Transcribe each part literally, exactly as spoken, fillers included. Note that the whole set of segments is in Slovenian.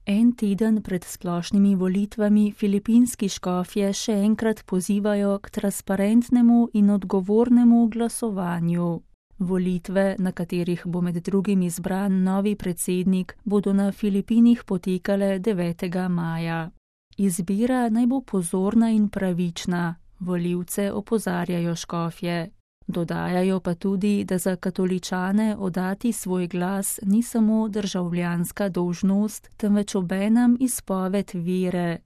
En teden pred splošnimi volitvami filipinski škofje še enkrat pozivajo k transparentnemu in odgovornemu glasovanju. Volitve, na katerih bo med drugim izbran novi predsednik, bodo na Filipinih potekale devetega maja. Izbira naj bo pozorna in pravična, volivce opozarjajo škofje. Dodajajo pa tudi, da za katoličane oddati svoj glas ni samo državljanska dolžnost, temveč obenem izpoved vere.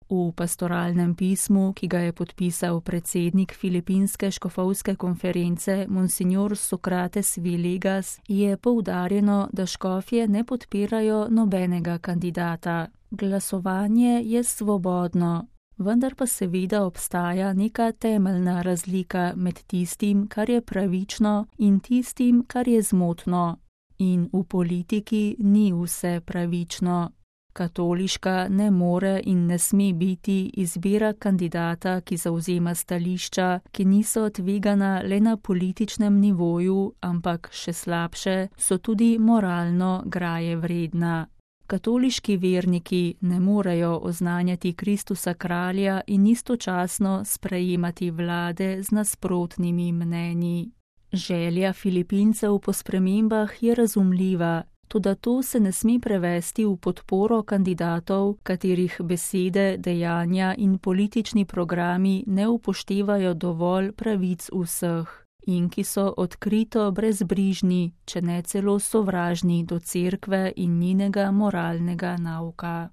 V pastoralnem pismu, ki ga je podpisal predsednik Filipinske škofovske konference Monsignor Sokrates Villegas, je poudarjeno, da škofje ne podpirajo nobenega kandidata. Glasovanje je svobodno. Vendar pa seveda obstaja neka temeljna razlika med tistim, kar je pravično, in tistim, kar je zmotno. In v politiki ni vse pravično. Katoliška ne more in ne sme biti izbira kandidata, ki zavzema stališča, ki niso tvegana le na političnem nivoju, ampak še slabše, so tudi moralno graje vredna. Katoliški verniki ne morejo oznanjati Kristusa kralja in istočasno sprejemati vlade z nasprotnimi mnenji. Želja Filipincev po spremembah je razumljiva, toda to se ne sme prevesti v podporo kandidatov, katerih besede, dejanja in politični programi ne upoštevajo dovolj pravic vseh. In ki so odkrito brezbrižni, če ne celo sovražni do cerkve in njenega moralnega nauka.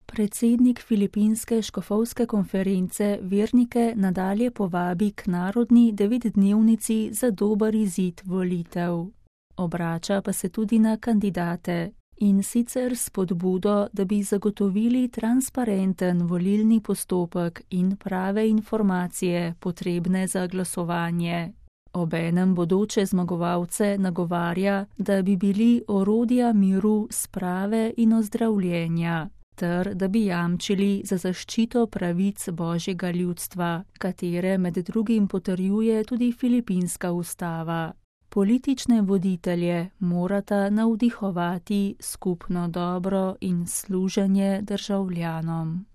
Predsednik Filipinske škofovske konference vernike nadalje povabi k narodni devetdnevnici za dober izid volitev. Obrača pa se tudi na kandidate, in sicer s spodbudo, da bi zagotovili transparenten volilni postopek in prave informacije potrebne za glasovanje. Obenem bodoče zmagovalce nagovarja, da bi bili orodja miru, sprave in ozdravljenja, ter da bi jamčili za zaščito pravic Božjega ljudstva, katere med drugim potrjuje tudi filipinska ustava. Politične voditelje morata navdihovati skupno dobro in služenje državljanom.